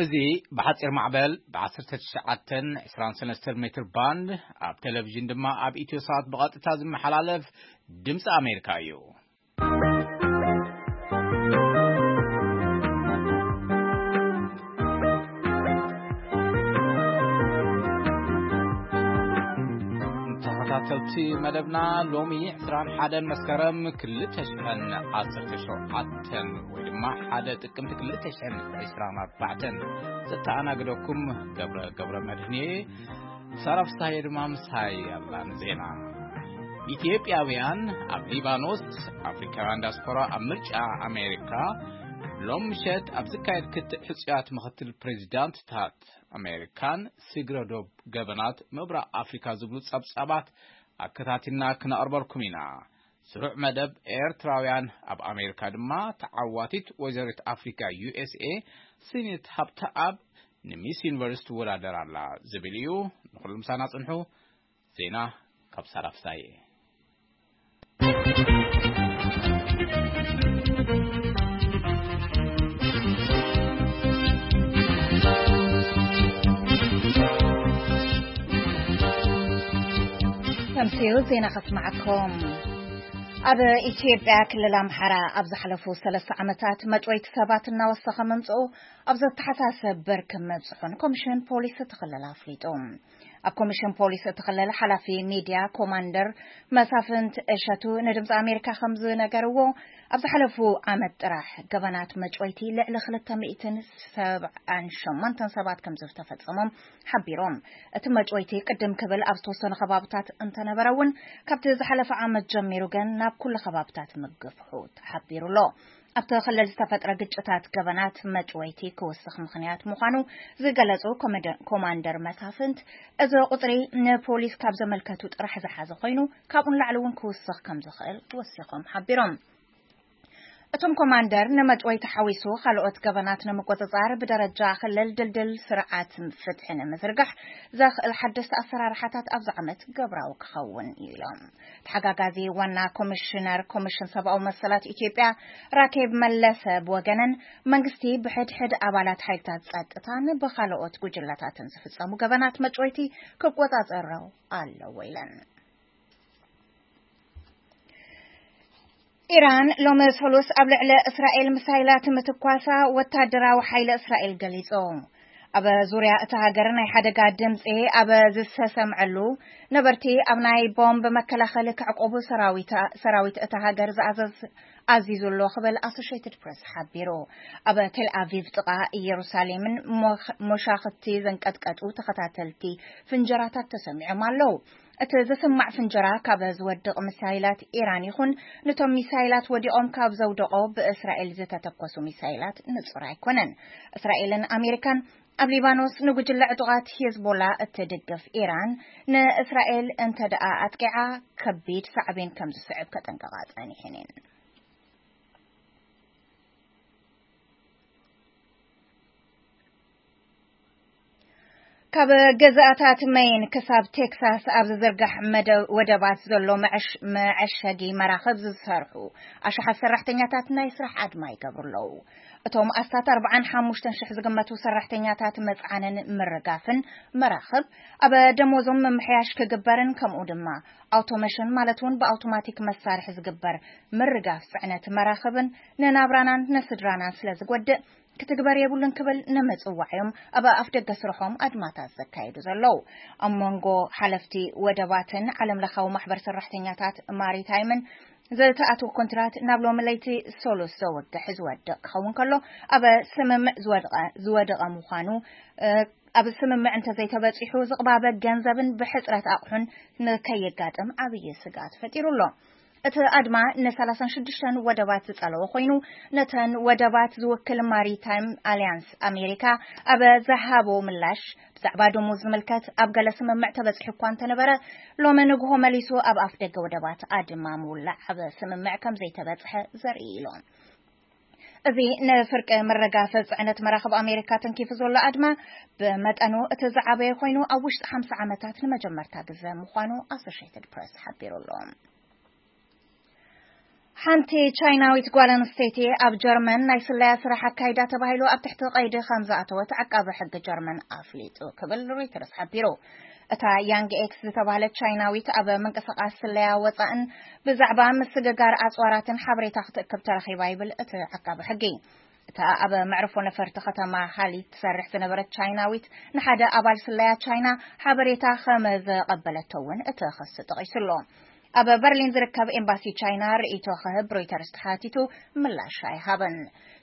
እዚ ብሓጺር ማዕበል ብ19 23 ሜትር ባንድ፣ ኣብ ቴሌቪዥን ድማ ኣብ ኢትዮ ሳት ብቐጥታ ዝመሓላለፍ ድምፂ ኣሜሪካ እዩ። ተኸታተልቲ መደብና፣ ሎሚ ዕስራን ሓደን መስከረም ክልተ ሽሕን ዓሰርተ ሸውዓተን ወይ ድማ ሓደ ጥቅምቲ ክልተ ሽሕን ዕስራን ኣርባዕተን ዘተኣናግደኩም ገብረ፣ ገብረ መድህን እየ። ሳራ ፍስሃየ ድማ ምሳይ ኣላ ንዜና። ኢትዮጵያውያን ኣብ ሊባኖስ፣ ኣፍሪካውያን ዲያስፖራ ኣብ ምርጫ ኣሜሪካ፣ ሎም ምሸት ኣብ ዝካየድ ክትዕ ሕጹያት ምኽትል ፕሬዚዳንትታት ኣሜሪካን ስግረ ዶብ ገበናት ምብራቕ ኣፍሪካ ዝብሉ ጸብጻባት ኣከታቲልና ክነቕርበልኩም ኢና። ስሩዕ መደብ ኤርትራውያን ኣብ ኣሜሪካ ድማ ተዓዋቲት ወይዘሪት ኣፍሪካ ዩ ኤስ ኤ ስኒት ሃብተኣብ ንሚስ ዩኒቨርስ ትወዳደር ኣላ ዝብል እዩ። ንኹሉ ምሳና ጽንሑ። ዜና ካብ ሳራ ፍሳዬ። ተምስዮ ዜና ከስማዓኩም። ኣብ ኢትዮጵያ ክልል ኣምሓራ ኣብ ዝሓለፉ ሰለስተ ዓመታት መጭወይቲ ሰባት እናወሰኸ ምምጽኡ ኣብ ዘተሓሳሰብ ብርክ ምብጽሑን ኮሚሽን ፖሊስ እቲ ክልል ኣፍሊጡ። ኣብ ኮሚሽን ፖሊስ እቲ ክልል ሓላፊ ሚድያ ኮማንደር መሳፍንት እሸቱ ንድምፂ ኣሜሪካ ከም ዝነገርዎ፣ ኣብ ዝሓለፉ ዓመት ጥራሕ ገበናት መጭወይቲ ልዕሊ ክልተ ሚእትን ሰብዓን ሸሞንተን ሰባት ከም ዝተፈጸሞም ሓቢሮም። እቲ መጭወይቲ ቅድም ክብል ኣብ ዝተወሰኑ ከባብታት እንተነበረ እውን፣ ካብቲ ዝሓለፈ ዓመት ጀሚሩ ግን ናብ ኩሉ ከባብታት ምግፍሑ ተሓቢሩ ኣሎ። ኣብቲ ክልል ዝተፈጥረ ግጭታት ገበናት መጭወይቲ ክውስኽ ምኽንያት ምዃኑ ዝገለጹ ኮመደ-፣ ኮማንደር መሳፍንት፣ እዚ ቁጽሪ ንፖሊስ ካብ ዘመልከቱ ጥራሕ ዝሓዘ ኮይኑ፣ ካብኡ ንላዕሊ እውን ክውስኽ ከም ዝኽእል ወሲኾም ሓቢሮም። እቶም ኮማንደር፣ ንመጭወይቲ ሓዊሱ ካልኦት ገበናት ንምቁጽጻር ብደረጃ ክልል ድልድል ስርዓት ፍትሒ ንምዝርጋሕ ዘኽእል ሓደስቲ ኣሰራርሓታት ኣብዚ ዓመት ግብራዊ ክኸውን እዩ ኢሎም። ተሓጋጋዚ ዋና ኮሚሽነር ኮሚሽን ሰብኣዊ መሰላት ኢትዮጵያ ራኬብ መለሰ ብወገነን፣ መንግስቲ ብሕድሕድ ኣባላት ሓይልታት ጸጥታን ብኻልኦት ጉጅለታትን ዝፍጸሙ ገበናት መጭወይቲ ክቆጻጸሮ ኣለዎ ኢለን። ኢራን ሎሚ ሰሉስ ኣብ ልዕሊ እስራኤል ሚሳይላት ምትኳሳ ወታደራዊ ሓይሊ እስራኤል ገሊጹ። ኣብ ዙርያ እታ ሃገር ናይ ሓደጋ ድምጺ ኣብ ዝተሰምዐሉ፣ ነበርቲ ኣብ ናይ ቦምብ መከላኸሊ ክዕቆቡ ሰራዊት፣ ሰራዊት እታ ሃገር ዝኣዘዝ ኣዚዙ ኣሎ ክብል ኣሶሼትድ ፕሬስ ሓቢሩ። ኣብ ቴል ኣቪቭ ጥቓ ኢየሩሳሌምን ሞኽ-፣ ሞሻኽቲ ዘንቀጥቀጡ ተኸታተልቲ ፍንጀራታት ተሰሚዖም ኣለዉ። እቲ ዝስማዕ ፍንጀራ ካብ ዝወድቕ ሚሳይላት ኢራን ይኹን፣ ነቶም ሚሳይላት ወዲቖም ካብ ዘውደቖ ብእስራኤል ዝተተኮሱ ሚሳይላት ንጹር ኣይኮነን። እስራኤልን ኣሜሪካን ኣብ ሊባኖስ ንጉጅለ ዕጡቓት ሂዝቦላ እትድግፍ ኢራን፣ ንእስራኤል እንተ ደኣ ኣጥቂዓ፣ ከቢድ ሳዕቤን ከም ዝስዕብ ከጠንቀቓ ጸኒሐን እየን። ካብ ገዛእታት መይን ክሳብ ቴክሳስ ኣብ ዝዝርጋሕ መደ-፣ ወደባት ዘሎ መዐሽ-፣ መዐሸጊ መራኽብ ዝሰርሑ ኣሽሓት ሰራሕተኛታት ናይ ስራሕ ኣድማ ይገብሩ ኣለዉ። እቶም ኣስታት ኣርባዓን ሓሙሽተን ሽሕ ዝግመቱ ሰራሕተኛታት መጽዓንን ምርጋፍን መራኽብ፣ ኣብ ደሞዞም ምምሕያሽ ክግበርን ከምኡ ድማ ኣውቶሜሽን ማለት እውን ብኣውቶማቲክ መሳርሒ ዝግበር ምርጋፍ ጽዕነት መራኽብን ንናብራናን ንስድራናን ስለ ዝጎድእ፣ ክትግበር የብሉን ክብል ንምጽዋዕ እዮም ኣብ ኣፍ ደገ ስርሖም ኣድማታት ዘካየዱ ዘለዉ። ኣብ መንጎ ሓለፍቲ ወደባትን ዓለም ለኻዊ ማሕበር ሰራሕተኛታት ማሪታይምን ዝተኣትወ ኮንትራት ናብ ሎሚ ለይቲ ሰሉስ ዘወግሕ ዝወድቕ ክኸውን ከሎ፣ ኣብ ስምምዕ ዝወድቐ-፣ ዝወደቐ ምዃኑ፣ እ፣ ኣብ ስምምዕ እንተዘይተበጺሑ ዝቕባበ ገንዘብን ብሕጽረት ኣቑሑን ንከየጋጥም ዓብዪ ስግኣት ፈጢሩ ኣሎ። እቲ ኣድማ ንሰላሳን ሽዱሽተን ወደባት ዝጸለወ ኮይኑ፣ ነተን ወደባት ዝውክል ማሪታይም ኣልያንስ ኣሜሪካ ኣብ ዝሃቦ ምላሽ፣ ብዛዕባ ደሞዝ ዝምልከት ኣብ ገለ ስምምዕ ተበጺሑ እኳ እንተነበረ፣ ሎሚ ንግሆ መሊሱ ኣብ ኣፍ ደገ ወደባት ኣድማ ምውላዕ ኣብ ስምምዕ ከም ዘይተበጽሐ ዘርኢ ኢሎም። እዚ ንፍርቂ ምርጋፍ ጽዕነት መራኽብ ኣሜሪካ ተንኪፉ ዘሎ ኣድማ፣ ብመጠኑ እቲ ዝዓበየ ኮይኑ፣ ኣብ ውሽጢ ሓምሳ ዓመታት ንመጀመርታ ግዘ ምዃኑ ኣሶሼትድ ፕሬስ ሓቢሩ ኣሎ። ሓንቲ ቻይናዊት ጓል ኣንስተይቲ ኣብ ጀርመን ናይ ስለያ ስራሕ ኣካይዳ ተባሂሉ ኣብ ትሕቲ ቀይዲ ከም ዝኣተወት ዓቃቢ ሕጊ ጀርመን ኣፍሊጡ ክብል ሮይተርስ ሓቢሩ። እታ ያንግ ኤክስ ዝተባህለት ቻይናዊት ኣብ ምንቅስቃስ ስለያ ወፃእን ብዛዕባ ምስግጋር ኣፅዋራትን ሓበሬታ ክትእክብ ተረኺባ ይብል እቲ ዓቃቢ ሕጊ። እታ ኣብ መዕርፎ ነፈርቲ ከተማ ሃሊ ትሰርሕ ዝነበረት ቻይናዊት ንሓደ ኣባል ስለያ ቻይና ሓበሬታ ከም ዘቐበለቶ እውን እቲ ክሲ ጠቒሱ ኣሎ። ኣብ በርሊን ዝርከብ ኤምባሲ ቻይና ርእይቶ ክህብ ሮይተርስ ተሓቲቱ ምላሽ ኣይሃበን።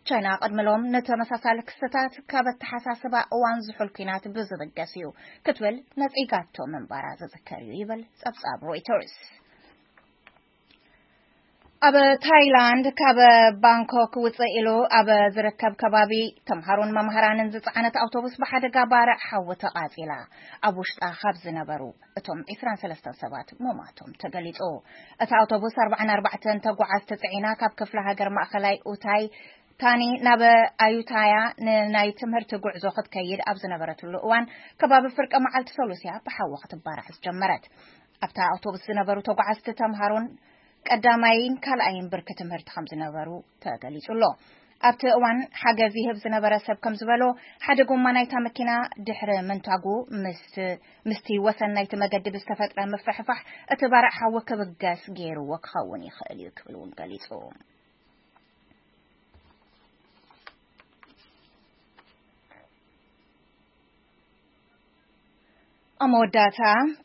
ቻይና ቅድሚ ሎም ንተመሳሳሊ ክስተታት ካብ ኣተሓሳስባ እዋን ዝሑል ኲናት ብዝብገስ እዩ ክትብል ነጺጋቶ ምንባራ ዝዝከር እዩ ይብል ጸብጻብ ሮይተርስ። ኣብ ታይላንድ ካብ ባንኮክ ውፅእ ኢሉ ኣብ ዝርከብ ከባቢ ተምሃሮን መምሃራንን ዝፀዓነት ኣውቶቡስ ብሓደጋ ባርዕ ሓዊ ተቓፂላ። ኣብ ውሽጣ ካብ ዝነበሩ እቶም ዕስራን ሰለስተን ሰባት ምሟቶም ተገሊፁ። እቲ ኣውቶቡስ ኣርባዓን ኣርባዕተን ተጓዓዝቲ ፅዒና ካብ ክፍለ ሃገር ማእኸላይ ኡታይ ታኒ ናብ ኣዩታያ ንናይ ትምህርቲ ጉዕዞ ክትከይድ ኣብ ዝነበረትሉ እዋን ከባቢ ፍርቂ መዓልቲ ሰሉስያ ብሓዊ ክትባራዕ ዝጀመረት። ኣብታ ኣውቶቡስ ዝነበሩ ተጓዓዝቲ ተምሃሮን ቀዳማይን ካልኣይን ብርኪ ትምህርቲ ከም ዝነበሩ ተገሊጹ ኣሎ። ኣብቲ እዋን ሓገዝ ይህብ ዝነበረ ሰብ ከም ዝበሎ፣ ሓደ ጎማ ናይታ መኪና ድሕሪ ምንታጉ ምስ ምስቲ ወሰን ናይቲ መገዲ ብዝተፈጥረ ምፍሕፋሕ እቲ ባርዕ ሓዊ ክብገስ ገይርዎ ክኸውን ይኽእል እዩ ክብል እውን ገሊጹ። ኣብ መወዳእታ፣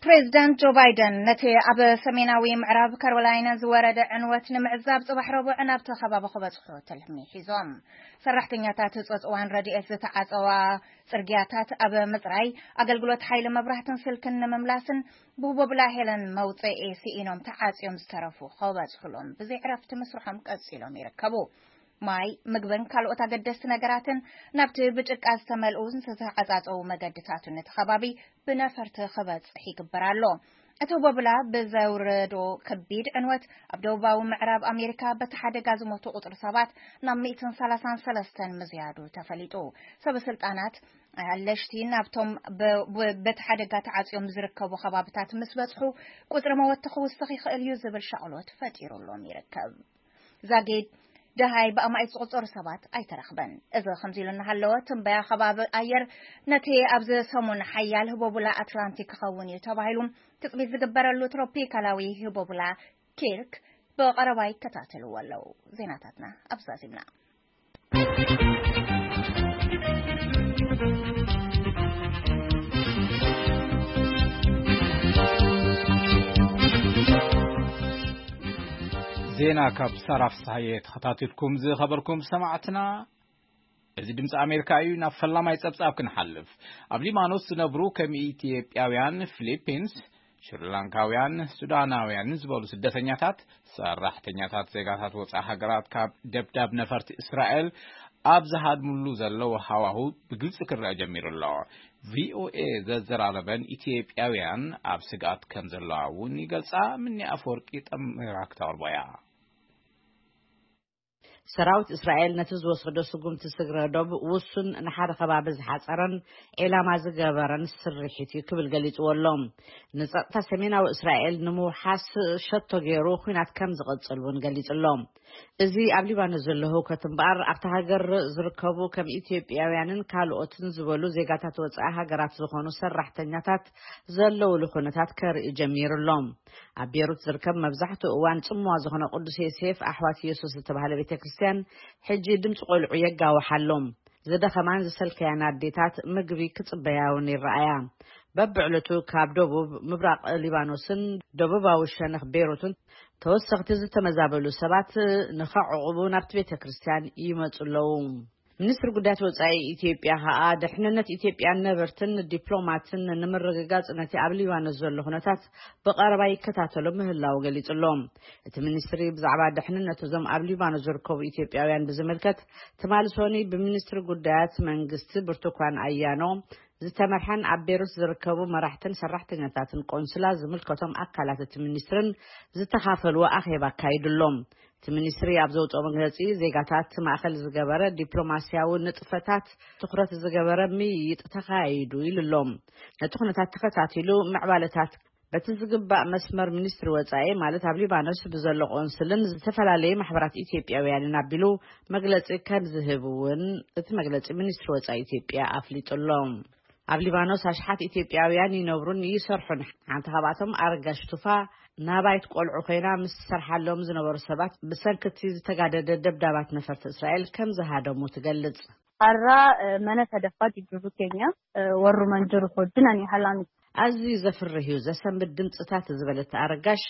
ፕሬዚዳንት ጆ ባይደን ነቲ ኣብ ሰሜናዊ ምዕራብ ካሮላይና ዝወረደ ዕንወት ንምዕዛብ ጽባሕ ረቡዕ ናብቲ ከባቢ ክበጽሑ ትልሚ ሒዞም። ሰራሕተኛታት ጸጽዋን ረድኤት ዝተዓጸዋ ጽርግያታት ኣብ ምጽራይ፣ ኣገልግሎት ሓይሊ መብራህትን ስልክን ንምምላስን ብህቦብላ ሄለን መውጽኢ ስኢኖም ተዓጽዮም ዝተረፉ ክበጽሑሎም ብዘይ ዕረፍቲ ምስርሖም ቀጺሎም ይርከቡ። ማይ፣ ምግብን ካልኦት ኣገደስቲ ነገራትን ናብቲ ብጭቃ ዝተመልኡ ዝተዓጻጸዉ መገድታቱን እቲ ከባቢ ብነፈርቲ ክበጽሕ ይግበር ኣሎ። እቲ ቦብላ ብዘውረዶ ከቢድ ዕንወት ኣብ ደቡባዊ ምዕራብ ኣሜሪካ በቲ ሓደጋ ዝሞቱ ቁጽሪ ሰባት ናብ ሚእትን ሰላሳን ሰለስተን ምዝያዱ ተፈሊጡ። ሰበ ስልጣናት ኣለሽቲ ናብቶም በ-፣ በ-፣ በቲ ሓደጋ ተዓጽዮም ዝርከቡ ከባብታት ምስ በጽሑ ቁጽሪ መወቲ ክውስኽ ይኽእል እዩ ዝብል ሻቕሎት ፈጢሩሎም ይርከብ። ዛጊድ ደሃይ ብኣማኢት ዝቑጸሩ ሰባት ኣይተረኽበን። እዚ ከምዚ ኢሉ እናሃለወ፣ ትንበያ ከባቢ ኣየር ነቲ ኣብዚ ሰሙን ሓያል ህቦብላ ኣትላንቲክ ክኸውን እዩ ተባሂሉ ትጽቢት ዝግበረሉ ትሮፒካላዊ ህቦብላ ኪርክ ብቐረባ ይከታተልዎ ኣለዉ። ዜናታትና ኣብዛ ዚምና። ዜና ካብ ሳራ ፍስሃየ ተኸታቲልኩም ዝኸበርኩም ሰማዕትና፣ እዚ ድምፂ ኣሜሪካ እዩ። ናብ ፈላማይ ጸብጻብ ክንሓልፍ። ኣብ ሊባኖስ ዝነብሩ ከም ኢትዮጵያውያን፣ ፊሊፒንስ፣ ሽሪላንካውያን፣ ሱዳናውያን ዝበሉ ስደተኛታት፣ ሰራሕተኛታት ዜጋታት ወፃኢ ሃገራት ካብ ደብዳብ ነፈርቲ እስራኤል ኣብ ዝሃድምሉ ዘለዉ ሃዋሁ ብግልፂ ክረአ ጀሚሩ ኣሎ። ቪኦኤ ዘዘራረበን ኢትዮጵያውያን ኣብ ስግኣት ከም ዘለዋ እውን ይገልፃ። ምኒ ኣፈወርቂ ጠሚራ ክተቕርቦ እያ። ሰራዊት እስራኤል ነቲ ዝወሰዶ ስጉምቲ ስግረ ዶብ ውሱን ንሓደ ከባቢ ዝሓጸረን ዒላማ ዝገበረን ስርሒት እዩ ክብል ገሊጽዎ ኣሎ። ንጸጥታ ሰሜናዊ እስራኤል ንምውሓስ ሸቶ ገይሩ ኲናት ከም ዝቕጽል እውን ገሊጹ ኣሎ። እዚ ኣብ ሊባኖስ ዘሎ ህውከት እምበኣር ኣብታ ሃገር ዝርከቡ ከም ኢትዮጵያውያንን ካልኦትን ዝበሉ ዜጋታት ወጻኢ ሃገራት ዝኾኑ ሰራሕተኛታት ዘለውሉ ኩነታት ከርኢ ጀሚሩ ኣሎ። ኣብ ቤሩት ዝርከብ መብዛሕትኡ እዋን ጽምዋ ዝኾነ ቅዱስ ዮሴፍ ኣሕዋት ኢየሱስ ዝተባህለ ቤተ ክርስቲያን ሕጂ ድምፂ ቆልዑ የጋውሓሎም። ዝደኸማን ዝሰልከያን ኣዴታት ምግቢ ክጽበያ እውን ይረኣያ። በብዕለቱ ካብ ደቡብ ምብራቕ ሊባኖስን ደቡባዊ ሸነኽ ቤሩትን ተወሰኽቲ ዝተመዛበሉ ሰባት ንኸዕቑቡ ናብቲ ቤተ ክርስቲያን ይመጹ ኣለዉ። ሚኒስትሪ ጉዳያት ወጻኢ ኢትዮጵያ ከኣ ድሕንነት ኢትዮጵያን ነበርትን ዲፕሎማትን ንምርግጋጽ ነቲ ኣብ ሊባኖስ ዘሎ ኩነታት ብቐረባ ይከታተሎ ምህላዉ ገሊጹ ኣሎ። እቲ ሚኒስትሪ ብዛዕባ ድሕንነት እዞም ኣብ ሊባኖስ ዝርከቡ ኢትዮጵያውያን ብዝምልከት ትማሊ ሶኒ ብሚኒስትሪ ጉዳያት መንግስቲ ብርቱኳን ኣያኖ ዝተመርሐን ኣብ ቤሩት ዝርከቡ መራሕትን ሰራሕተኛታትን ቆንስላ ዝምልከቶም ኣካላት እቲ ሚኒስትርን ዝተኻፈልዎ ኣኼባ ኣካይዱ ኣሎ። እቲ ሚኒስትሪ ኣብ ዘውፅኦ መግለፂ ዜጋታት ማእኸል ዝገበረ ዲፕሎማስያዊ ንጥፈታት ትኹረት ዝገበረ ምይይጥ ተኻይዱ ኢሉ ኣሎ። ነቲ ኩነታት ተኸታቲሉ ምዕባለታት በቲ ዝግባእ መስመር ሚኒስትሪ ወጻኢ፣ ማለት ኣብ ሊባኖስ ብዘሎ ቆንስልን ዝተፈላለዩ ማሕበራት ኢትዮጵያውያንን ኣቢሉ መግለጺ ከም ዝህብ እውን እቲ መግለጺ ሚኒስትሪ ወጻኢ ኢትዮጵያ ኣፍሊጡ ኣሎ። ኣብ ሊባኖስ ኣሽሓት ኢትዮጵያውያን ይነብሩን ይሰርሑን። ሓንቲ ካብኣቶም ኣረጋሽ ቱፋ፣ ናባይት ቆልዑ ኮይና ምስ ትሰርሓሎም ዝነበሩ ሰባት ብሰንክቲ ዝተጋደደ ደብዳባት ነፈርቲ እስራኤል ከም ዝሃደሙ ትገልጽ። Har'a eh, mana sadaffaa jijjiiruu keenya eh, warruman jiru wajjin ani haalaan ኣዝዩ ዘፍርህ እዩ። ዘሰንብድ ድምፅታት ዝበለት ኣረጋሽ፣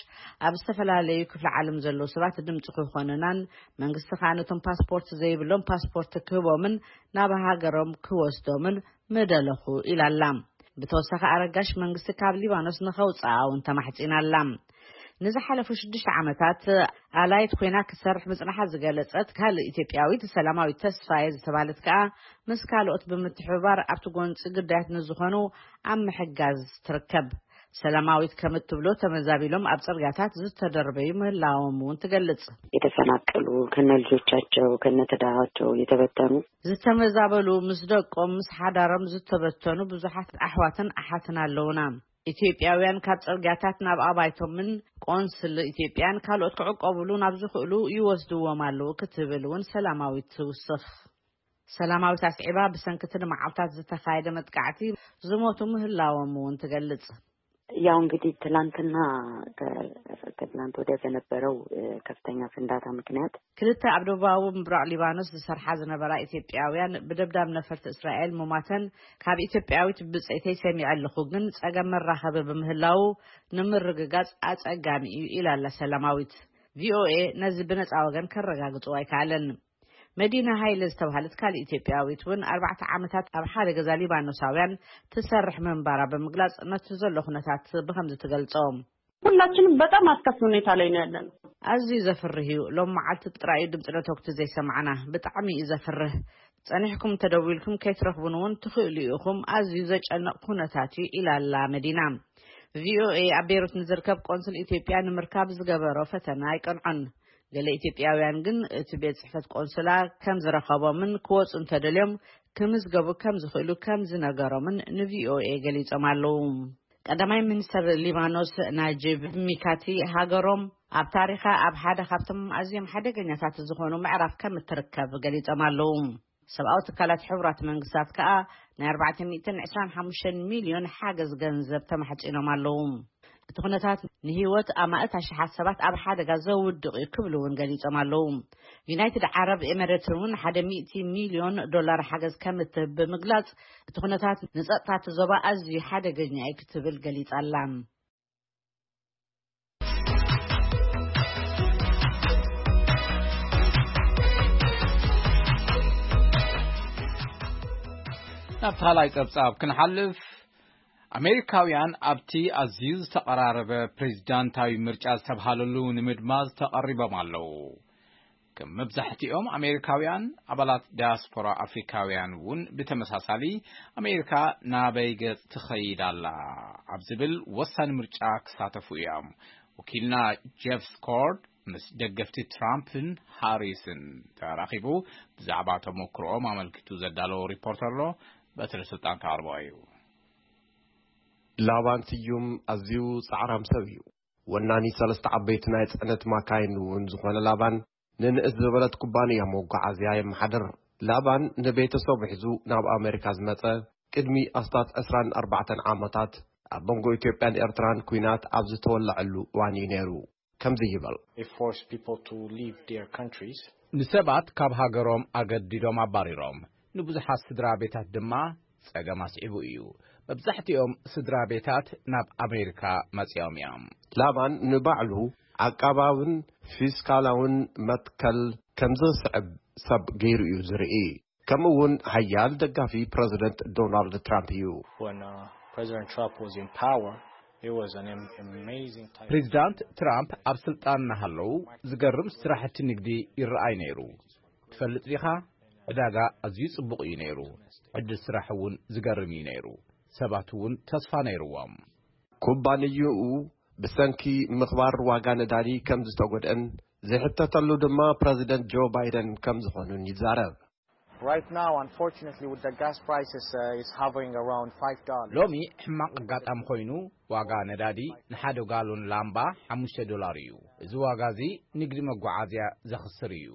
ኣብ ዝተፈላለዩ ክፍለ ዓለም ዘለዉ ሰባት ድምፂ ክኾኑናን መንግስቲ ከዓ ነቶም ፓስፖርት ዘይብሎም ፓስፖርት ክህቦምን ናብ ሃገሮም ክወስዶምን ምደለኹ ኢላላ። ብተወሳኺ ኣረጋሽ መንግስቲ ካብ ሊባኖስ ንኸውፅኣ እውን ተማሕፂናላ። ንዝሓለፉ ሽዱሽተ ዓመታት ኣላይት ኮይና ክትሰርሕ ምፅናሓ ዝገለፀት ካልእ ኢትዮጵያዊት ሰላማዊት ተስፋዬ ዝተባህለት ከዓ ምስ ካልኦት ብምትሕብባር ኣብቲ ጎንፂ ግዳያት ንዝኾኑ ኣብ ምሕጋዝ ትርከብ። ሰላማዊት ከም እትብሎ ተመዛቢሎም ኣብ ፅርግያታት ዝተደርበዩ ምህላዎም እውን ትገልጽ። የተፈናቀሉ ከነ ልጆቻቸው ከነ ትዳራቸው የተበተኑ ዝተመዛበሉ ምስ ደቆም ምስ ሓዳሮም ዝተበተኑ ብዙሓት ኣሕዋትን ኣሓትን ኣለውና። ኢትዮጵያውያን ካብ ጽርግያታት ናብ ኣባይቶምን ቆንስል ኢትዮጵያን ካልኦት ክዕቆብሉ ናብ ዝኽእሉ ይወስድዎም ኣለዉ ክትብል እውን ሰላማዊት ትውስኽ። ሰላማዊት ኣስዒባ ብሰንኪ እቲ ንመዓልታት ዝተኻየደ መጥቃዕቲ ዝሞቱ ምህላዎም እውን ትገልጽ። ያው እንግዲህ ትላንትና ከ- ከትላንት ወዲያ በነበረው እ፣ ከፍተኛ ፍንዳታ ምክንያት ክልተ ኣብ ደቡባዊ ምብራቕ ሊባኖስ ዝሰርሓ ዝነበራ ኢትዮጵያውያን ብደብዳብ ነፈርቲ እስራኤል ምሟተን ካብ ኢትዮጵያዊት ብጸይተይ ሰሚዐ ኣለኹ፣ ግን ጸገም መራኸቢ ብምህላው ንምርግጋጽ ኣጸጋሚ እዩ ኢላላ ሰላማዊት። ቪኦኤ ነዚ ብነጻ ወገን ከረጋግጾ ኣይከኣለን። መዲና ሃይለ ዝተባህለት ካልእ ኢትዮጵያዊት እውን ኣርባዕተ ዓመታት ኣብ ሓደ ገዛ ሊባኖሳውያን ትሰርሕ ምንባራ ብምግላጽ ነቲ ዘሎ ኩነታት ብኸምዚ ትገልጾ። ሁላችንም በጣም አስከፊ ሁኔታ ላይ ነው ያለነው። ኣዝዩ ዘፍርህ እዩ። ሎም መዓልቲ ጥራይ እዩ ድምፂ ነተኩቲ ዘይሰማዕና። ብጣዕሚ እዩ ዘፍርህ። ጸኒሕኩም እንተደዊልኩም ከይትረኽቡን እውን ትኽእሉ ኢኹም። ኣዝዩ ዘጨንቕ ኩነታት እዩ ኢላላ መዲና። ቪኦኤ ኣብ ቤይሩት ንዝርከብ ቆንስል ኢትዮጵያ ንምርካብ ዝገበሮ ፈተና ኣይቀንዖን። ገለ ኢትዮጵያውያን ግን እቲ ቤት ጽሕፈት ቆንስላ ከም ዝረኸቦምን ክወፁ እንተደልዮም ክምዝገቡ ከም ዝኽእሉ ከም ዝነገሮምን ንቪኦኤ ገሊጾም ኣለዉ። ቀዳማይ ሚኒስተር ሊባኖስ ናጂብ ሚካቲ ሃገሮም ኣብ ታሪኻ ኣብ ሓደ ካብቶም ኣዝዮም ሓደገኛታት ዝኾኑ ምዕራፍ ከም እትርከብ ገሊጾም ኣለዉ። ሰብኣዊ ትካላት ሕቡራት መንግስታት ከኣ ናይ ኣርባዕተ ሚእትን ዕስራን ሓሙሽተን ሚልዮን ሓገዝ ገንዘብ ተማሕጺኖም ኣለዉ። እቲ ኩነታት ንህይወት ኣማእት ኣሽሓት ሰባት ኣብ ሓደጋ ዘውድቕ እዩ ክብሉ እውን ገሊጾም ኣለዉ። ዩናይትድ ዓረብ ኤመሬትን እውን ሓደ ሚእቲ ሚልዮን ዶላር ሓገዝ ከም እትህብ ብምግላጽ እቲ ኩነታት ንጸጥታ እቲ ዞባ ኣዝዩ ሓደገኛ እዩ ክትብል ገሊጻ ኣላ። ናብቲ ካልኣይ ጸብጻብ ክንሓልፍ፣ ኣሜሪካውያን ኣብቲ ኣዝዩ ዝተቐራረበ ፕሬዚዳንታዊ ምርጫ ዝተብሃለሉ ንምድማዝ ተቐሪቦም ኣለዉ። ከም መብዛሕትኦም ኣሜሪካውያን፣ ኣባላት ዳያስፖራ ኣፍሪካውያን እውን ብተመሳሳሊ ኣሜሪካ ናበይ ገጽ ትኸይድ ኣላ ኣብ ዝብል ወሳኒ ምርጫ ክሳተፉ እዮም። ወኪልና ጀፍ ስኮርድ ምስ ደገፍቲ ትራምፕን ሃሪስን ተራኺቡ ብዛዕባ ተመክሮኦም ኣመልኪቱ ዘዳለዎ ሪፖርት ኣሎ። በትሪ ስልጣን ከቕርቦ እዩ። ላባን ስዩም ኣዝዩ ጻዕራም ሰብ እዩ። ወናኒ ሰለስተ ዓበይቲ ናይ ጽዕነት ማካይን እውን ዝኾነ ላባን፣ ንንእስ ዝበለት ኩባንያ መጓዓዝያ የመሓድር። ላባን ንቤተሰቡ ሒዙ ናብ ኣሜሪካ ዝመጸ ቅድሚ ኣስታት ዕስራን ኣርባዕተን ዓመታት፣ ኣብ መንጎ ኢትዮጵያን ኤርትራን ኲናት ኣብ ዝተወለዐሉ እዋን እዩ ነይሩ። ከምዚ ይብል። They force people to leave their countries. ንሰባት ካብ ሃገሮም ኣገዲዶም ኣባሪሮም፣ ንብዙሓት ስድራ ቤታት ድማ ጸገም ኣስዒቡ እዩ። መብዛሕትኦም ስድራ ቤታት ናብ ኣሜሪካ መጺኦም እዮም። ላባን ንባዕሉ ዓቃባውን ፊስካላውን መትከል ከም ዝስዕብ ሰብ ገይሩ እዩ ዝርኢ። ከምኡ እውን ሓያል ደጋፊ ፕረዚደንት ዶናልድ ትራምፕ እዩ። When uh, President Trump was in power, it was an am- amazing type. ፕሬዚዳንት ትራምፕ ኣብ ስልጣን እናሃለዉ ዝገርም ስራሕቲ ንግዲ ይረኣይ ነይሩ። ትፈልጥ ዲኻ? ዕዳጋ ኣዝዩ ጽቡቕ እዩ ነይሩ። ዕድል ስራሕ እውን ዝገርም እዩ ነይሩ። ሰባት እውን ተስፋ ነይርዎም። ኩባንያኡ ብሰንኪ ምኽባር ዋጋ ነዳዲ ከም ዝተጎድአን ዝሕተተሉ ድማ ፕረዚደንት ጆ ባይደን ከም ዝኾኑን ይዛረብ። Right now, unfortunately, with the gas prices, uh, it's hovering around five dollars. ሎሚ ሕማቕ ኣጋጣሚ ኮይኑ ዋጋ ነዳዲ ንሓደ ጋሎን ላምባ ሓሙሽተ ዶላር እዩ። እዚ ዋጋ እዚ ንግዲ መጓዓዝያ ዘኽስር እዩ።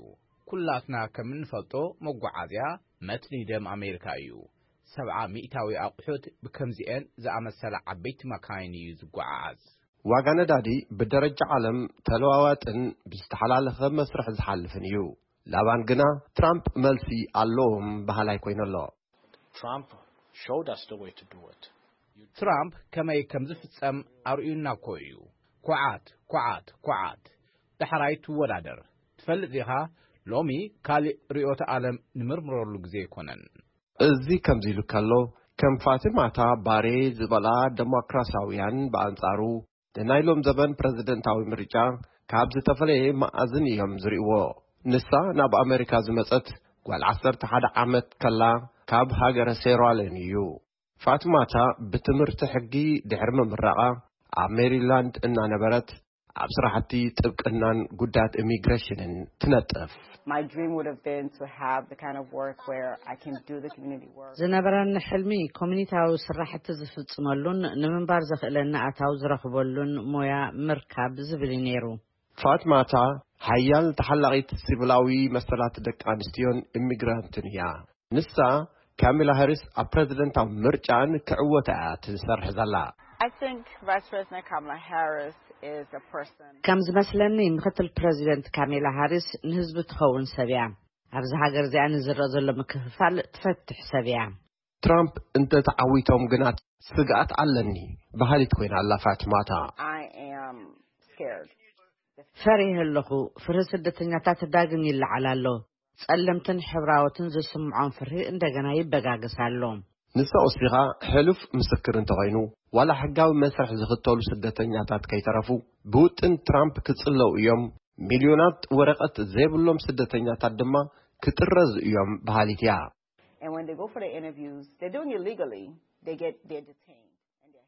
ኩላትና ከም እንፈልጦ መጓዓዝያ መትኒ ደም ኣሜሪካ እዩ። ሰብዓ ሚእታዊ ኣቑሑት ብከምዚኤን ዝኣመሰላ ዓበይቲ መካይን እዩ ዝጓዓዓዝ። ዋጋ ነዳዲ ብደረጃ ዓለም ተለዋዋጥን ብዝተሓላለኸ መስርሕ ዝሓልፍን እዩ። ላባን ግና ትራምፕ መልሲ ኣለዎም በሃላይ ኮይኑ ኣሎ። Trump showed us the way to do it. ትራምፕ ከመይ ከም ዝፍጸም ኣርእዩና እኮ እዩ። ኩዓት ኩዓት ኩዓት። ዳሕራይ ትወዳደር። ትፈልጥ ዲኻ? ሎሚ ካልእ ርእዮተ ዓለም ንምርምረሉ ግዜ ኣይኮነን። እዚ ከምዚ ኢሉ ከሎ፣ ከም ፋቲማታ ባሬ ዝበላ ደሞክራሲያውያን ብኣንጻሩ ንናይ ሎም ዘበን ፕረዚደንታዊ ምርጫ ካብ ዝተፈለየ መኣዝን እዮም ዝርእይዎ። ንሳ ናብ ኣመሪካ ዝመጸት ጓል ዓሰርተ ሓደ ዓመት ከላ ካብ ሃገረ ሴራሌን እዩ። ፋቲማታ ብትምህርቲ ሕጊ ድሕሪ ምምራቓ ኣብ ሜሪላንድ እናነበረት ኣብ ስራሕቲ ጥብቅናን ጉዳያት ኢሚግሬሽንን ትነጥፍ። My dream would have been to have the kind of work where I can do the community work. ዝነበረኒ ሕልሚ ኮሚኒታዊ ስራሕቲ ዝፍጽመሉን ንምንባር ዘኽእለኒ ኣታዊ ዝረኽበሉን ሞያ ምርካብ ዝብል እዩ ነይሩ። ፋትማታ ሓያል ተሓላቒት ሲቪላዊ መሰላት ደቂ ኣንስትዮን ኢሚግራንትን እያ። ንሳ ካሚላ ሃሪስ ኣብ ፕረዚደንታዊ ምርጫ ንክዕወታ እያ ትሰርሕ ዘላ። I think Vice President Kamala Harris is a person. ከም ዝመስለኒ ምክትል ፕረዚደንት ካሜላ ሃሪስ ንህዝቢ ትኸውን ሰብ እያ። ኣብዚ ሃገር እዚኣ ንዝረአ ዘሎ ምክፍፋል ትፈትሕ ሰብ እያ። ትራምፕ እንተተዓዊቶም ግና ስግኣት ኣለኒ በሃሊት ኮይና ኣላ ፋትማታ። I am scared. ፈሪህ ኣለኹ። ፍርሂ ስደተኛታት ዳግም ይለዓል ኣሎ። ጸለምትን ሕብራዎትን ዝስምዖም ፍርሂ እንደገና ይበጋገስ ኣሎ። ንሳ ወሲኻ ሕሉፍ ምስክር እንተኾይኑ ዋላ ሕጋዊ መስርሕ ዝኽተሉ ስደተኛታት ከይተረፉ ብውጥን ትራምፕ ክጽለው እዮም። ሚልዮናት ወረቐት ዘይብሎም ስደተኛታት ድማ ክጥረዙ እዮም በሃሊት እያ። And when they go for the interviews, they do it illegally. They get they're detained.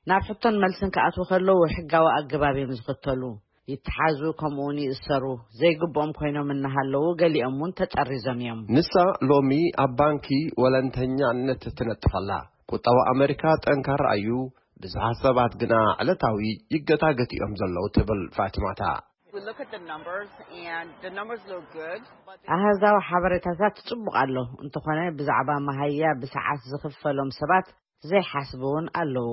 ናብ ሕቶን መልስን ክኣትዉ ከለዉ ሕጋዊ ኣገባብ እዮም ዝኽተሉ። ይተሓዙ፣ ከምኡውን ይእሰሩ። ዘይግብኦም ኮይኖም እናሃለዉ ገሊኦም እውን ተጠሪዞም እዮም። ንሳ ሎሚ ኣብ ባንኪ ወለንተኛነት ትነጥፍ ኣላ። ቁጠባ ኣመሪካ ጠንካራ እዩ፣ ብዙሓት ሰባት ግና ዕለታዊ ይገታገት እዮም ዘለዉ ትብል ፋትማታ። We look at the numbers, and the numbers look good. But ኣሃዛዊ ሓበሬታታት ጽቡቕ ኣሎ፣ እንተኾነ ብዛዕባ መሃያ ብሰዓት ዝኽፈሎም ሰባት ዘይሓስቡ እውን ኣለዉ።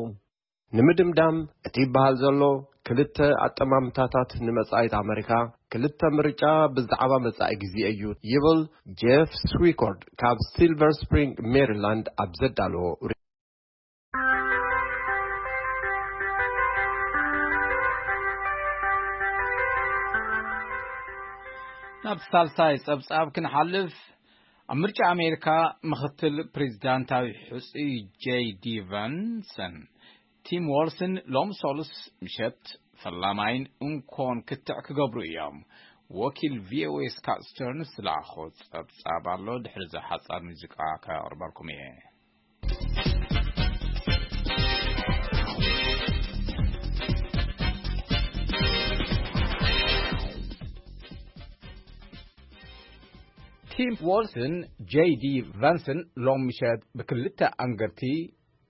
ንምድምዳም እቲ ይበሃል ዘሎ ክልተ ኣጠማምታታት ንመጻኢት ኣመሪካ፣ ክልተ ምርጫ ብዛዕባ መጻኢ ግዜ እዩ ይብል ጄፍ ስዊኮርድ ካብ ሲልቨር ስፕሪንግ ሜሪላንድ ኣብ ዘዳለዎ። ናብ ሳልሳይ ጸብጻብ ክንሓልፍ፣ ኣብ ምርጫ ኣሜሪካ ምኽትል ፕሬዚዳንታዊ ሕጹይ ጄይ ዲ ቫንሰን ቲም ዋልስን ሎም ሶሉስ ምሸት ፈላማይን እንኮን ክትዕ ክገብሩ እዮም። ወኪል ቪ ኦ ኤ ስካት ስተርንስ ዝለኣኾ ጸብጻብ ኣሎ። ድሕሪ ሓጻር ሙዚቃ ከቕርበልኩም እየ። ቲም ዋልስን ጄይ ዲ ቫንስን ሎም ምሸት ብክልተ ኣንገርቲ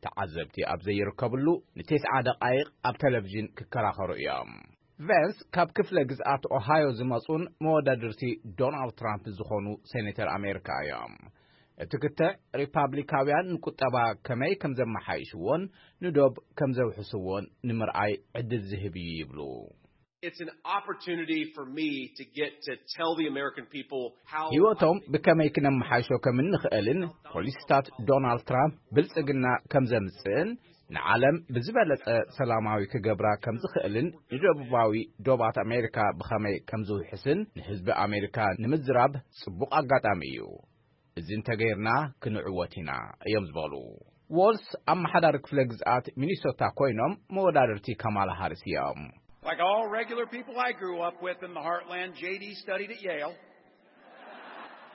ተዓዘብቲ ኣብ ዘይርከብሉ ንቴስዓ ደቓይቕ ኣብ ቴሌቪዥን ክከራኸሩ እዮም። ቫንስ ካብ ክፍለ ግዝኣት ኦሃዮ ዝመጹን መወዳድርቲ ዶናልድ ትራምፕ ዝኾኑ ሴኔተር ኣሜሪካ እዮም። እቲ ክትዕ ሪፓብሊካውያን ንቁጠባ ከመይ ከም ዘመሓይሽዎን ንዶብ ከም ዘውሕስዎን ንምርኣይ ዕድል ዝህብ እዩ ይብሉ። It's an opportunity for me to get to tell the American people how ህይወቶም ብከመይ ክነመሓይሾ ከም እንኽእልን ፖሊሲታት ዶናልድ ትራምፕ ብልጽግና ከም ዘምጽእን ንዓለም ብዝበለጸ ሰላማዊ ክገብራ ከም ዝኽእልን ንደቡባዊ ዶባት ኣሜሪካ ብኸመይ ከም ዝውሕስን ንህዝቢ ኣሜሪካ ንምዝራብ ጽቡቕ ኣጋጣሚ እዩ። እዚ እንተገይርና ክንዕወት ኢና እዮም ዝበሉ። ዎልስ ኣመሓዳሪ ክፍለ ግዝኣት ሚኒሶታ ኮይኖም መወዳድርቲ ካማላ ሃሪስ እዮም። Like all regular people I grew up with in the heartland, J D studied at Yale.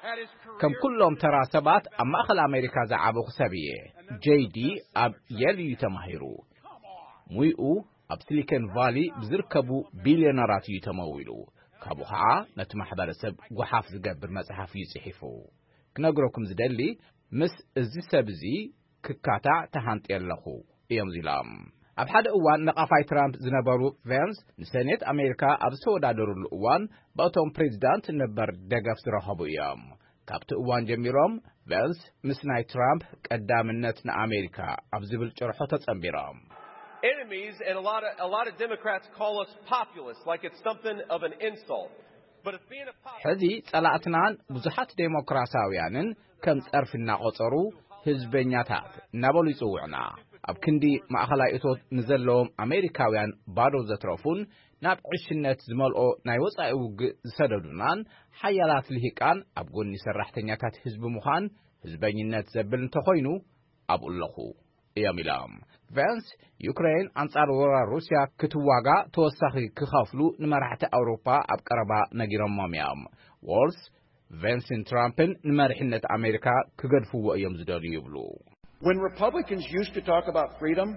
Had his career ከም ኩሎም ተራ ሰባት ኣብ ማእኸል ኣሜሪካ ዝዓበኹ ሰብ እየ። ጄይ ዲ ኣብ የል እዩ ተማሂሩ። ሙይኡ ኣብ ሲሊኮን ቫሊ ብዝርከቡ ቢልዮነራት እዩ ተመዊሉ። ካብኡ ኸዓ ነቲ ማሕበረሰብ ጓሓፍ ዝገብር መጽሓፍ እዩ ጽሒፉ። ክነግረኩም ዝደሊ፣ ምስ እዚ ሰብ እዚ ክካታዕ ተሃንጥየ ኣለኹ እዮም ኢሎም። ኣብ ሓደ እዋን ነቓፋይ ትራምፕ ዝነበሩ ቬንስ፣ ንሰኔት ኣሜሪካ ኣብ ዝተወዳደሩሉ እዋን፣ ብእቶም ፕሬዚዳንት ነበር ደገፍ ዝረኸቡ እዮም። ካብቲ እዋን ጀሚሮም፣ ቬንስ ምስ ናይ ትራምፕ ቀዳምነት ንኣሜሪካ ኣብ ዝብል ጭርሖ ተጸንቢሮም። Enemies, and a lot of a lot of Democrats call us populist, like it's something of an insult. But if being a populist, ሕዚ ጸላእትናን ብዙሓት ዴሞክራሲያውያንን ከም ጸርፊ እናቖጸሩ፣ ህዝበኛታት እናበሉ ይጽውዑና። ኣብ ክንዲ ማእኸላይ እቶት ንዘለዎም ኣሜሪካውያን ባዶ ዘትረፉን ናብ ዕሽነት ዝመልኦ ናይ ወጻኢ ውግእ ዝሰደዱናን ሓያላት ልሂቃን ኣብ ጎኒ ሰራሕተኛታት ህዝቢ ምዃን ህዝበኝነት ዘብል እንተኾይኑ ኣብኡ ኣለኹ እዮም ኢሎም። ቬንስ፣ ዩክሬን ኣንጻር ወራር ሩስያ ክትዋጋ ተወሳኺ ክኸፍሉ ንመራሕቲ ኣውሮፓ ኣብ ቀረባ ነጊሮሞም እዮም። ዎልስ፣ ቬንስን ትራምፕን ንመሪሕነት ኣሜሪካ ክገድፍዎ እዮም ዝደልዩ ይብሉ። When Republicans used to talk about freedom,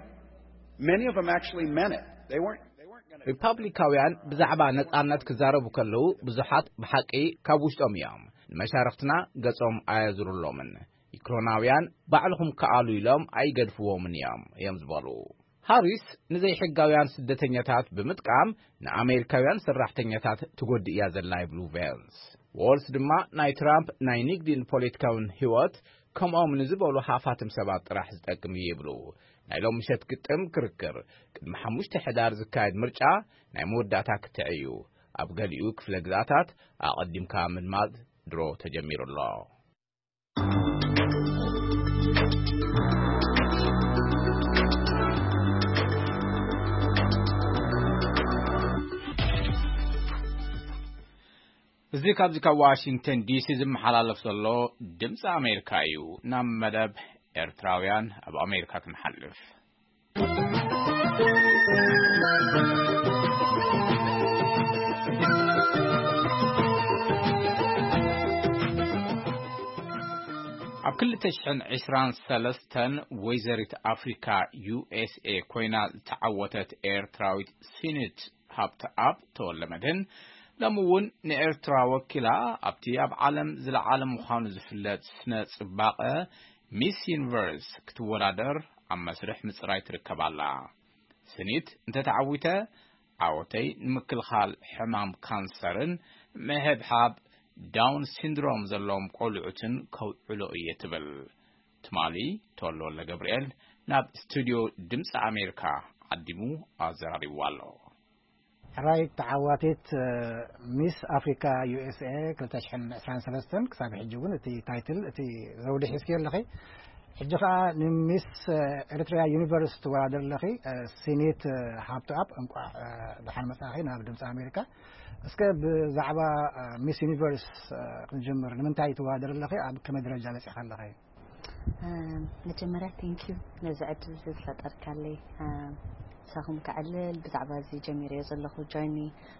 many of them actually meant it. They weren't. They weren't going to. ሪፓብሊካውያን ብዛዕባ ነጻነት ክዛረቡ ከለዉ ብዙሓት ብሓቂ ካብ ውሽጦም እዮም። ንመሻርኽትና ገጾም ኣየዙሩሎምን። ዩክሬናውያን ባዕልኹም ከኣሉ ኢሎም ኣይገድፍዎምን እዮም እዮም ዝበሉ። ሃሪስ ንዘይሕጋውያን ስደተኛታት ብምጥቃም ንኣሜሪካውያን ሰራሕተኛታት ትጎድእ እያ ዘላ ይብሉ ቬንስ። ዎልስ ድማ ናይ ትራምፕ ናይ ንግድን ፖለቲካውን ህይወት ከምኦም ንዝበሉ ሃፋትም ሰባት ጥራሕ ዝጠቅም እዩ ይብሉ። ናይ ሎም ምሸት ግጥም ክርክር ቅድሚ ሓሙሽተ ሕዳር ዝካየድ ምርጫ ናይ መወዳእታ ክትዕ እዩ። ኣብ ገሊኡ ክፍለ ግዛታት ኣቐዲምካ ምድማጽ ድሮ ተጀሚሩ ኣሎ። እዚ ካብዚ ካብ ዋሽንግተን ዲሲ ዝመሓላለፍ ዘሎ ድምፂ ኣሜሪካ እዩ። ናብ መደብ ኤርትራውያን ኣብ ኣሜሪካ ክንሓልፍ። ኣብ ክልተ ሽሕን ዕስራን ሰለስተን ወይዘሪት ኣፍሪካ ዩ ኤስ ኤ ኮይና ዝተዓወተት ኤርትራዊት ሲኒት ሃብተኣብ ተወልደመድህን፣ ሎሚ እውን ንኤርትራ ወኪላ ኣብቲ ኣብ ዓለም ዝለዓለ ምዃኑ ዝፍለጥ ስነ ጽባቐ ሚስ ዩኒቨርስ ክትወዳደር ኣብ መስርሕ ምጽራይ ትርከብ ኣላ። ስኒት፣ እንተ ተዓዊተ፣ ዓወተይ ንምክልኻል ሕማም ካንሰርን ምሕብሓብ ዳውን ሲንድሮም ዘለዎም ቆልዑትን ከውዕሎ እየ ትብል። ትማሊ ተወልደ ወልደ ገብርኤል ናብ ስቱድዮ ድምፂ ኣሜሪካ ዓዲሙ ኣዘራሪብዋ ኣሎ። ሕራይ ተዓዋቲት ሚስ ኣፍሪካ ዩ ኤስ ኤ ክልተ ሽሕን ዕስራን ሰለስተን፣ ክሳብ ሕጂ እውን እቲ ታይትል፣ እቲ ዘውዲ ሒዝኪ ኣለኺ። ሕጂ ከዓ ንሚስ ኤርትራ ዩኒቨርስ ትወዳደር ኣለኺ። ሲኒት ሃብተኣብ፣ እንቋዕ ደሓን መጻኺ ናብ ድምፂ ኣሜሪካ። እስከ ብዛዕባ ሚስ ዩኒቨርስ ክንጅምር። ንምንታይ ትወዳደር ኣለኺ? ኣብ ከመይ ደረጃ በፂኻ ኣለኺ? መጀመርያ ቴንኪዩ ነዚ ዕድል እዚ ዝፈጠርካለይ። ምሳኹም ከዕልል ብዛዕባ እዚ ጀሚረዮ ዘለኹ ጆርኒ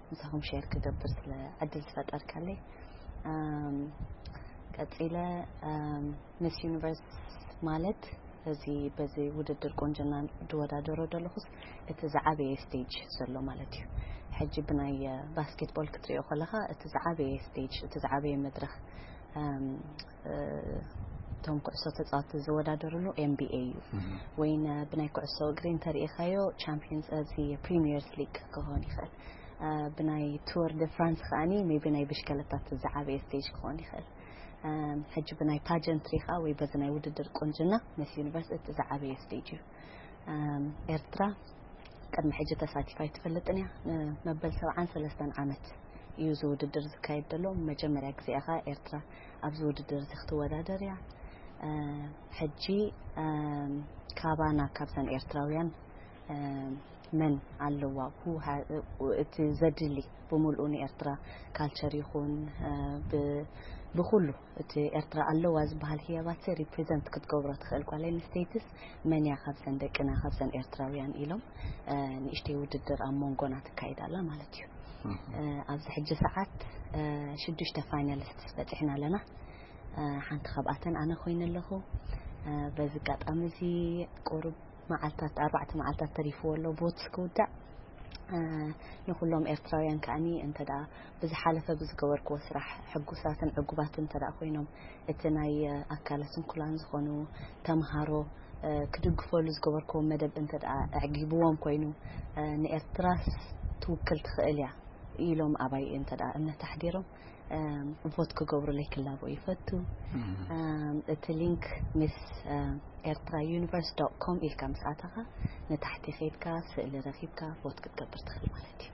ምሳኹም ሼር ክገብር ስለ ዕድል ዝፈጠርካለይ። ቀፂለ፣ ምስ ዩኒቨርስ ማለት እዚ በዚ ውድድር ቁንጅና ዝወዳደሮ ዘለኹስ እቲ ዝዓበየ ስቴጅ ዘሎ ማለት እዩ። ሕጂ ብናይ ባስኬትቦል ክትሪኦ ከለኻ እቲ ዝዓበየ ስቴጅ፣ እቲ ዝዓበየ መድረኽ፣ እቶም ኩዕሶ ተፃወቲ ዝወዳደርሉ ኤን ቢ ኤ እዩ። ወይ ብናይ ኩዕሶ እግሪ እንተሪኢኻዮ ቻምፒየንስ፣ እዚ ፕሪሚየርስ ሊግ ክኸውን ይኽእል። ብናይ ቱር ደ ፍራንስ ከዓኒ ሜቢ ናይ ብሽከለታት ዝዓበየ ስቴጅ ክኸውን ይኽእል። ሕጂ ብናይ ፓጀንትሪ ከዓ ወይ በዚ ናይ ውድድር ቁንጅና ምስ ዩኒቨርስ እቲ ዝዓበየ ስቴጅ እዩ። ኤርትራ ቅድሚ ሕጂ ተሳቲፋ ኣይትፈልጥን እያ። መበል ሰብዓን ሰለስተን ዓመት እዩ እዚ ውድድር ዝካየድ ዘሎ። መጀመርያ ግዜኣ ከዓ ኤርትራ ኣብዚ ውድድር እዚ ክትወዳደር እያ። ሕጂ ካባና ካብዘን ኤርትራውያን መን ኣለዋ? እቲ ዘድሊ ብምልኡ ንኤርትራ ካልቸር ይኹን ብኩሉ እቲ ኤርትራ ኣለዋ ዝበሃል ህያባት ሪፕሬዘንት ክትገብሮ ትኽእል ጓል ኣንስተይትስ መን እያ ካብዘን ደቅና ካብዘን ኤርትራውያን ኢሎም ንእሽተይ ውድድር ኣብ መንጎና ትካይድ ኣላ ማለት እዩ። ኣብዚ ሕጂ ሰዓት ሽዱሽተ ፋይናሊስትስ በፂሕና ኣለና። ሓንቲ ካብኣተን ኣነ ኮይነ ኣለኹ። በዚ ኣጋጣሚ እዚ ቁሩብ መዓልታት ኣርባዕተ መዓልታት ተሪፍዎ ኣሎ ቮትስ ክውዳእ። ንኩሎም ኤርትራውያን ከዓኒ እንተ ደኣ ብዝሓለፈ ብዝገበርክዎ ስራሕ ሕጉሳትን ዕጉባትን እንተ ደኣ ኮይኖም፣ እቲ ናይ ኣካለ ስንኩላን ዝኾኑ ተምሃሮ ክድግፈሉ ዝገበርክዎ መደብ እንተ ደኣ ኣዕጊብዎም ኮይኑ፣ ንኤርትራስ ትውክል ትኽእል እያ ኢሎም ኣባይ እንተ ደኣ እምነት ኣሕዲሮም፣ ቮት ክገብሩለይ ክላቦ ይፈቱ። እቲ ሊንክ ምስ ኤርትራ ዩኒቨርስ ዶት ኮም ኢልካ ምስ ኣተኻ፣ ንታሕቲ ኸይድካ ስእሊ ረኺብካ ቮት ክትገብር ትኽእል ማለት እዩ።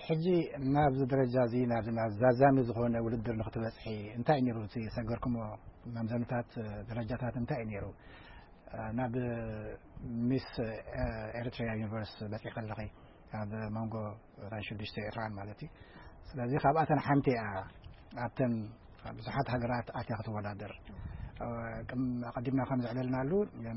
ሕጂ ናብዚ ደረጃ እዚ ናብዚ ናብ ዛዛሚ ዝኾነ ውድድር ንክትበፅሒ እንታይ እዩ ነይሩ እቲ ሰገርኩሞ መምዘንታት ደረጃታት እንታይ እዩ ነይሩ? ናብ ሚስ ኤሪትሪያ ዩኒቨርስ በፂ ከለኺ ኣብ መንጎ እተን ሽዱሽተ ኤርትራን ማለት እዩ። ስለዚ ካብኣተን ሓንቲ እያ ኣብተን ብዙሓት ሃገራት ኣትያ ክትወዳደር። ኣቀዲምና ከም ዘዕለልናሉ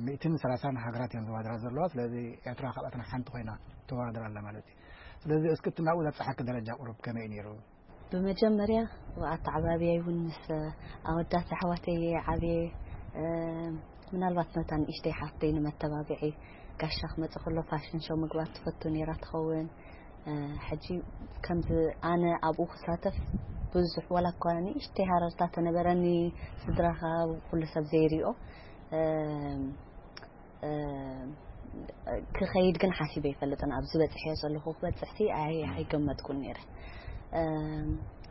ሚእትን ሰላሳን ሃገራት እየን ዝወዳደራ ዘለዋ። ስለዚ ኤርትራ ካብኣተን ሓንቲ ኮይና ትወዳደር ኣላ ማለት እዩ። ስለዚ እስኪ እቲ ናብኡ ዘብፅሓኪ ደረጃ ቁሩብ ከመይ እዩ ነይሩ? ብመጀመርያ ኣተዓባብያይ እውን ምስ ኣወዳት ኣሕዋተይ ዓብየ። ምናልባት ነታ ንእሽተይ ሓፍተይ ንመተባብዒ ጋሻ ክመፅእ ከሎ ፋሽን ሾው ምግባር ትፈቱ ነይራ ትኸውን። ሕጂ ከምዚ ኣነ ኣብኡ ክሳተፍ ብዙሕ ዋላ እኳ ንእሽተይ ሃረርታ ተነበረኒ፣ ስድራኻ ኩሉ ሰብ ዘይሪኦ ክኸይድ ግን ሓሲበ ይፈልጥን ኣብዚ በፅሕዮ ዘለኹ ክበፅሕሲ ኣይገመጥኩን ነይረ።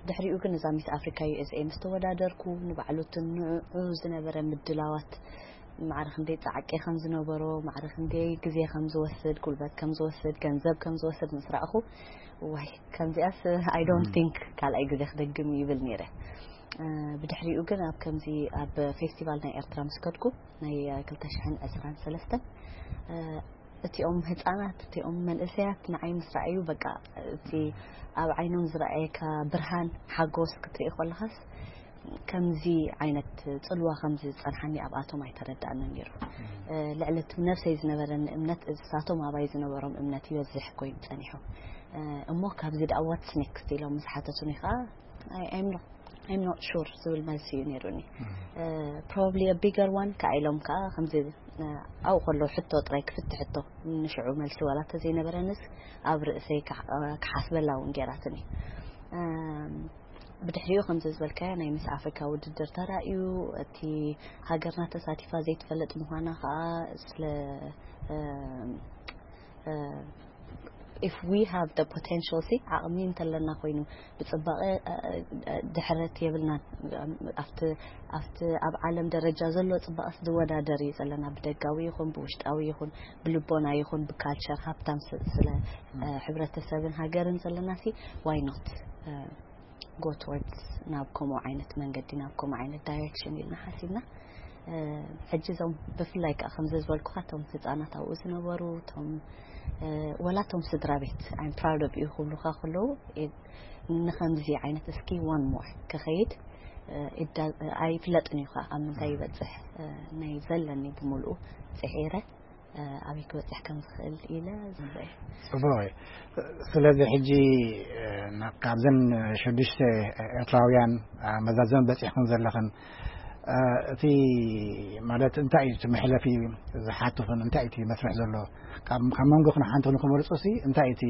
ድሕሪኡ ግን እዛ ሚስ ኣፍሪካ ዩ ኤስ ኤ ምስ ተወዳደርኩ ንባዕሉ እቲ ንዕኡ ዝነበረ ምድላዋት ማዕረ ክንደይ ፃዕቂ ከም ዝነበሮ፣ ማዕረ ክንደይ ግዜ ከም ዝወስድ፣ ጉልበት ከም ዝወስድ፣ ገንዘብ ከም ዝወስድ ምስ ረኣኹ፣ ዋይ ከምዚኣስ I don't think ካልኣይ ግዜ ክደግም ይብል ነይረ። ብድሕሪኡ ግን ኣብ ከምዚ ኣብ ፌስቲቫል ናይ ኤርትራ ምስ ከድኩ ናይ ክልተ ሽሕን ዕስራን ሰለስተን እቲኦም ህፃናት እቲኦም መንእሰያት ንዓይ ምስ ረኣዩ በቃ እቲ ኣብ ዓይኖም ዝረኣየካ ብርሃን ሓጎስ ክትርኢ ከለኻስ ከምዚ ዓይነት ፅልዋ ከምዚ ዝፀንሓኒ ኣብኣቶም ኣይተረዳእንን ነይሩ። ልዕሊ እቲ ነብሰይ ዝነበረኒ እምነት እሳቶም ኣባይ ዝነበሮም እምነት ይበዝሕ ኮይኑ ፀኒሑ። እሞ ካብዚ ደኣ what's next ኢሎም ምስ ሓተቱኒ ከዓ I'm not sure ዝብል መልሲ እዩ ነይሩኒ። Probably a bigger one ከዓ ኢሎም ከዓ ከምዚ ኣብኡ ከለዉ ሕቶ ጥራይ ክፍትሕ ሕቶ ንሽዑ መልሲ ዋላ እንተዘይነበረንስ ኣብ ርእሰይ ክሓስበላ እውን ገይራትኒ። ብድሕሪኡ ከምዚ ዝበልካዮ ናይ ሚስ ኣፍሪካ ውድድር ተራእዩ እቲ ሃገርና ተሳቲፋ ዘይትፈልጥ ምዃና ከዓ ስለ if we have the potential ሲ ዓቕሚ እንተለና ኮይኑ ብፅባቐ ድሕረት የብልናን። ኣብቲ ኣብቲ ኣብ ዓለም ደረጃ ዘሎ ፅባቐስ ዝወዳደር እዩ ዘለና ብደጋዊ ይኹን ብውሽጣዊ ይኹን ብልቦና ይኹን ብካልቸር ሃብታም ስለ ሕብረተሰብን ሃገርን ዘለና ሲ why not go towards ናብ ከምኡ ዓይነት መንገዲ ናብ ከምኡ ዓይነት ዳይሬክሽን ኢልና ሓሲብና። ሕጂ እዞም ብፍላይ ከዓ ከምዚ ዝበልኩካ እቶም ህፃናት ኣብኡ ዝነበሩ እቶም ወላ እቶም ስድራ ቤት I'm proud of you ክብሉካ ከለዉ ንከምዚ ዓይነት እስኪ one more ክኸይድ ኣይፍለጥን እዩ ከዓ ኣብ ምንታይ ይበፅሕ ናይ ዘለኒ ብምልኡ ፅዒረ ኣበይ ክበፅሕ ከም ዝኽእል ኢለ ዝንበ ፅቡቅ እዩ። ስለዚ ሕጂ ካብዘን ሽዱሽተ ኤርትራውያን መዛዘም በፂሕክን ዘለኽን እቲ ማለት እንታይ እዩ እቲ መሕለፊ ዝሓትኽን እንታይ እቲ መስርሕ ዘሎ ካብ መንጎ ክን ሓንቲ ንክመርፁ ሲ እንታይ እቲ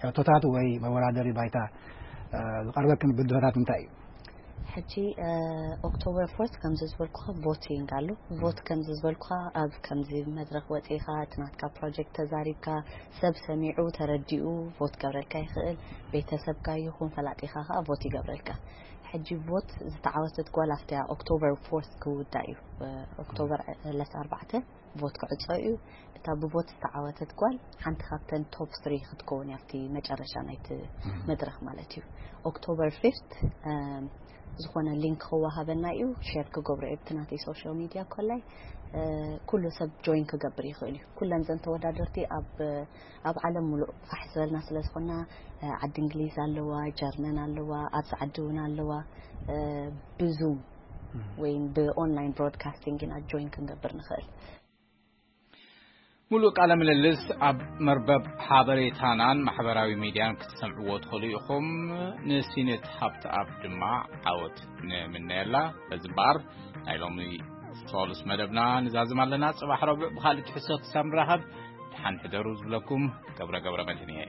ሕቶታት ወይ መወዳደሪ ባይታ ዝቀርበክን ብድሆታት እንታይ እዩ? ሕጂ ኦክቶበር ፎርት ከምዚ ዝበልኩኻ ቮቲንግ ኣሎ። ቮት ከምዚ ዝበልኩኻ ኣብ ከምዚ መድረክ ወፂእኻ እቲ ናትካ ፕሮጀክት ተዛሪብካ ሰብ ሰሚዑ ተረዲኡ ቮት ገብረልካ ይኽእል። ቤተሰብካ ይኹን ፈላጢኻ ከዓ ቮት ይገብረልካ። ሕጂ ቮት ዝተዓወተት ጓል ኣብቲ ኦክቶበር ፎርት ክውዳእ እዩ። ኦክቶበር ዕለት ኣርባዕተ ቮት ክዕፆ እዩ። እታ ብቮት ዝተዓወተት ጓል ሓንቲ ካብተን ቶፕ ስሪ ክትከውን እያ ኣብቲ መጨረሻ ናይቲ መድረክ ማለት እዩ። ኦክቶበር ፊፍት ዝኾነ ሊንክ ክወሃበና እዩ። ሼር ክገብሮ እየ ብቲ ናተይ ሶሻል ሚድያ ኮላይ ኩሉ ሰብ ጆይን ክገብር ይኽእል እዩ። ኩለን ዘን ተወዳደርቲ ኣብ ኣብ ዓለም ሙሉእ ፋሕ ዝበልና ስለ ዝኾና ዓዲ እንግሊዝ ኣለዋ፣ ጀርመን ኣለዋ፣ ኣብዚ ዓዲ እውን ኣለዋ። ብዙም ወይ ብኦንላይን ብሮድካስቲንግ ኢና ጆይን ክንገብር ንኽእል። ሙሉእ ቃለ ምልልስ ኣብ መርበብ ሓበሬታናን ማሕበራዊ ሚድያን ክትሰምዕዎ ትኽእሉ ኢኹም። ንሲነት ሃብተኣብ ድማ ዓወት ንምነየላ። በዚ እምበኣር ናይ ሎሚ ሰሉስ መደብና ንዛዝም ኣለና። ጽባሕ ረቡዕ ብኻልእ ትሕዝቶ ክሳብ ንራኸብ ሓንሕደሩ ዝብለኩም ገብረ ገብረ መድህን እየ።